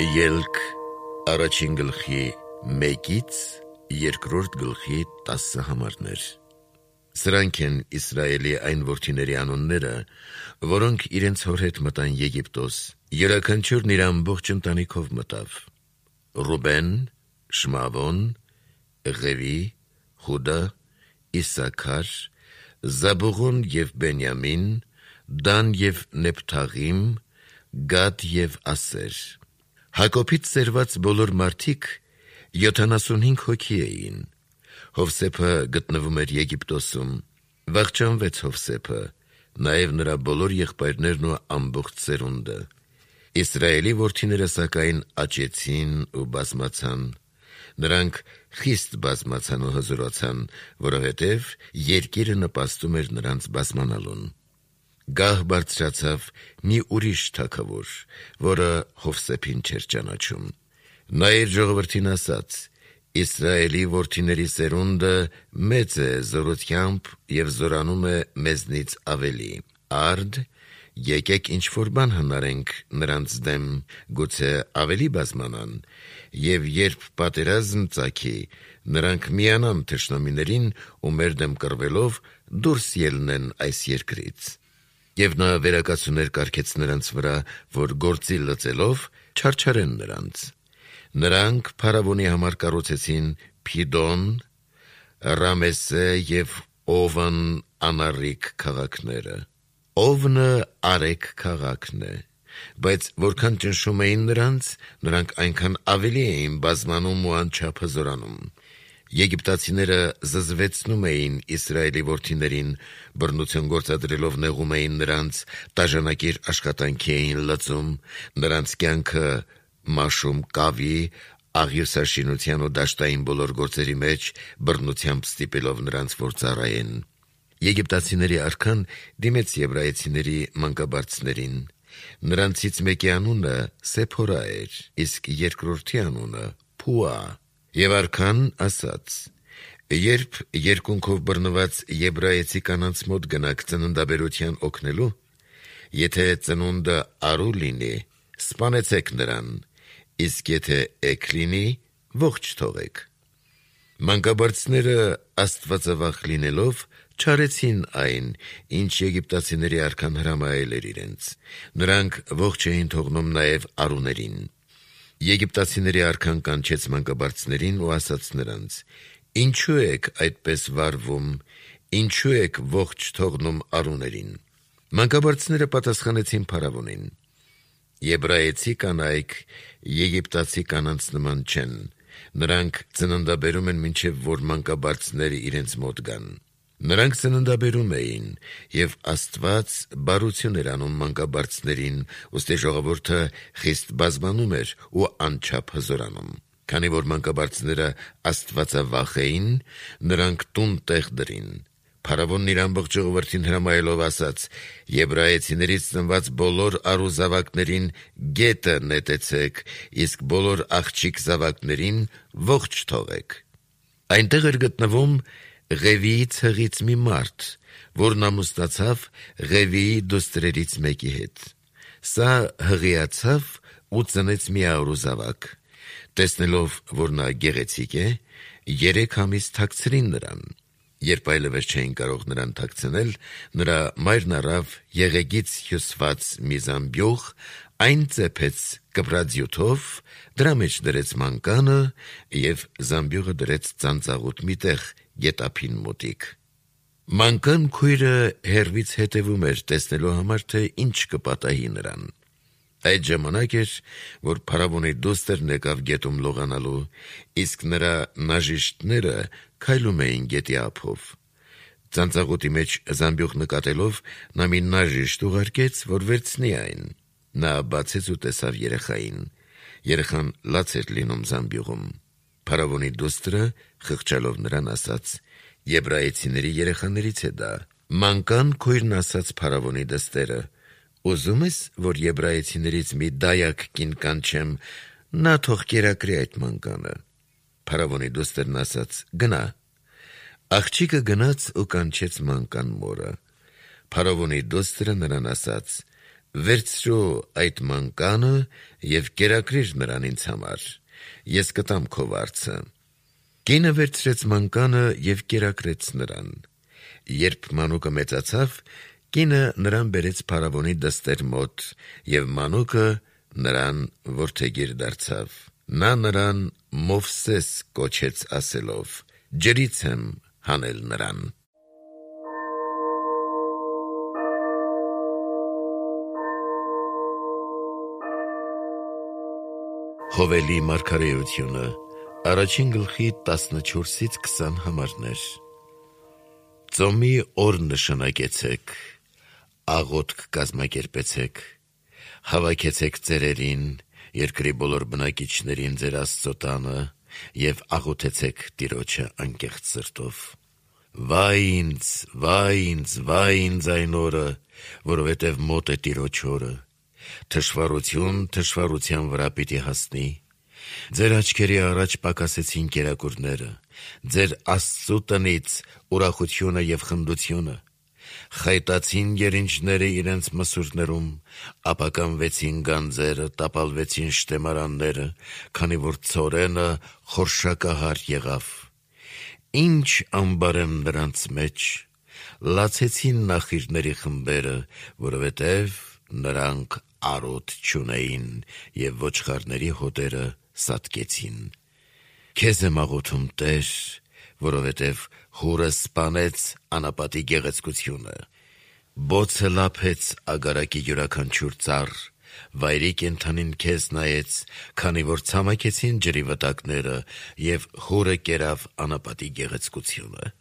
Ելք առաջին գլխի 1-ից 2-րդ գլխի 10 համարներ։ Սրանք են Իսրայելի այն որդիների անունները, որոնք իրենց հոր հետ մտան Եգիպտոս, յուրաքանչյուրն իր ամբողջ ընտանիքով մտավ. Ռուբեն, Շմավոն, Ղևի, Հուդա, Իսաքար, Զաբուղոն և Բենյամին, Դան և Նեփթաղիմ, Գադ և Ասեր։ Հակոբից ծերված բոլոր մարդիկ 75 հոգի էին։ Հովսեփը գտնվում էր Եգիպտոսում, վախճանվեց Հովսեփը, նաև նրա բոլոր եղբայրներն ու ամբողջ սերունդը։ Իսրայելի որդիները սակայն աճեցին ու բազմացան։ Նրանք խիստ բազմացան ու հզորացան, որովհետև երկիրը նպաստում էր նրանց բազմանալուն։ Գահ բարձրացավ մի ուրիշ թագավոր, որը Հովսեփին չէր ճանաչում։ Նա իր ժողովրդին ասաց. Իսրայելի որդիների սերունդը մեծ է զորությամբ և զորանում է մեզնից ավելի։ Արդ, եկեք ինչ-որ բան հնարենք նրանց դեմ, գուցե ավելի բազմանան, և երբ պատերազմ ծագի, նրանք միանան թշնամիներին ու մեր դեմ կռվելով դուրս ելնեն այս երկրից։ Եվ նա վերակացուներ կարգեց նրանց վրա, որ գործի լծելով չարչարեն նրանց։ Նրանք փարավոնի համար կառուցեցին Փիդոն, Ռամեսե և Օվն անառիկ քաղաքները։ Օվնը Արեք քաղաքն է, բայց որքան ճնշում էին նրանք այնքան ավելի էին բազմանում ու անչափ հզորանում։ Եգիպտացիները զզվեցնում էին Իսրայելի որդիներին, բռնություն գործադրելով նեղում էին նրանց, տաժանակիր աշխատանքի էին լծում, նրանց կյանքը մաշում կավի, աղյուսաշինության ու դաշտային բոլոր գործերի մեջ բռնությամբ ստիպելով նրանց, որ ծառայեն։ Եգիպտացիների արքան դիմեց եբրայեցիների մանկաբարձներին։ Նրանցից մեկի անունը Սեփորա էր, իսկ երկրորդի անունը Փուա։ Եվ արքան ասաց. երբ երկունքով բռնված եբրայեցի կանանց մոտ գնաք ծննդաբերության օգնելու, եթե ծնունդը արու լինի, սպանեցեք նրան, իսկ եթե էգ լինի, ողջ թողեք։ Մանկաբարձները աստվածավախ լինելով չարեցին այն, ինչ եգիպտացիների արքան հրամայել էր իրենց։ Նրանք ողջ էին թողնում նաև արուներին։ Եգիպտացիների արքան կանչեց մանկաբարձներին ու ասաց նրանց. Ինչու եք այդպես վարվում, ինչու եք ողջ թողնում արուներին։ Մանկաբարձները պատասխանեցին փարավոնին. Եբրայեցի կանայք եգիպտացի կանանց նման չեն, նրանք ծննդաբերում են մինչև որ մանկաբարձները իրենց մոտ գան։ Նրանք ծննդաբերում էին, և Աստված բարություն էր անում մանկաբարձներին, ուստի ժողովուրդը խիստ բազմանում էր ու անչափ հզորանում։ Քանի որ մանկաբարձները աստվածավախ էին, նրանք տուն տեղ դրին։ Փարավոնն իր ամբողջ ժողովրդին հրամայելով ասաց. Եբրայեցիներից ծնված բոլոր արու զավակներին գետը նետեցեք, իսկ բոլոր աղջիկ զավակներին ողջ թողեք։ Այնտեղ էր գտնվում Ղևիի ցեղից մի մարդ, որն ամուսնացավ Ղևիի դուստրերից մեկի հետ։ Սա հղիացավ ու ծնեց մի արու զավակ։ Տեսնելով, որ նա գեղեցիկ է, 3 ամիս թաքցրին նրան։ Երբ այլևս չէին կարող նրան թաքցնել, նրա մայրն առավ եղեգից հյուսված մի զամբյուղ, այն ծեփեց կպրաձյութով, դրա մեջ դրեց մանկանը և զամբյուղը դրեց ծանծաղուտ մի տեղ գետափին մոտիկ։ Մանկան քույրը հեռվից հետևում էր, տեսնելու համար, թե ինչ կպատահի նրան։ Այդ ժամանակ էր, որ փարավոնի դուստրն եկավ գետում լողանալու, իսկ նրա նաժիշտները քայլում էին գետի ափով։ Ծանծաղուտի մեջ զամբյուղ նկատելով, նա մի նաժիշտ ուղարկեց, որ վերցնի այն։ Նա բացեց ու տեսավ երեխային։ Երեխան լաց էր լինում զամբյուղում։ Փարավոնի դուստրը խղճալով նրան ասաց. Եբրայեցիների երեխաներից է դա։ Մանկան քույրն ասաց փարավոնի դստերը. Ուզում ես, որ եբրայեցիներից մի դայակ կին կանչեմ, նա թող կերակրի այդ մանկանը։ Փարավոնի դուստրն ասաց. Գնա։ Աղջիկը գնաց ու կանչեց մանկան մորը։ Փարավոնի դուստրը նրան ասաց. Վերցրու այդ մանկանը և կերակրիր նրան ինձ համար, ես կտամ քո վարձը։ Կինը վերցրեց մանկանը և կերակրեց նրան։ Երբ մանուկը մեծացավ, կինը նրան բերեց փարավոնի դստեր մոտ, և մանուկը նրան որդեգիր դարձավ։ Նա նրան Մովսես կոչեց ասելով. «Ջրից եմ հանել նրան»։ Հովելի մարգարեությունը, 1-14-20 համարներ։ Ծոմի օր նշանակեցեք, աղոթք կազմակերպեցեք, հավաքեցեք ծերերին, երկրի բոլոր բնակիչներին ձեր Աստծո տանը և աղոթեցեք Տիրոջը անկեղծ սրտով։ Վայ ինձ, վայ ինձ, վայ ինձ այն օրը, որովհետև մոտ է Տիրոջ օրը, թշվառություն թշվառության վրա պիտի հասնի։ Ձեր աչքերի առաջ պակասեցին կերակուրները, ձեր Աստծու տնից ուրախությունը և խնդությունը։ Խայտացին երինջները իրենց մսուրներում, ապականվեցին գանձերը, տապալվեցին շտեմարանները, քանի որ ցորենը խորշակահար եղավ։ Ինչ ամբարեմ նրանց մեջ, լացեցին նախիրների խմբերը, որովհետև նրանք արոտ չունեին, և ոչխարների հոտերը սատկեցին։ Քեզ եմ աղոթում, Տեր, որովհետև հուրը սպանեց անապատի գեղեցկությունը։ Բոցը լափեց ագարակի յուրաքանչյուր ծառ, վայրի կենդանին քեզ նայեց, քանի որ ցամաքեցին ջրի վտակները, և հուրը կերավ անապատի գեղեցկությունը։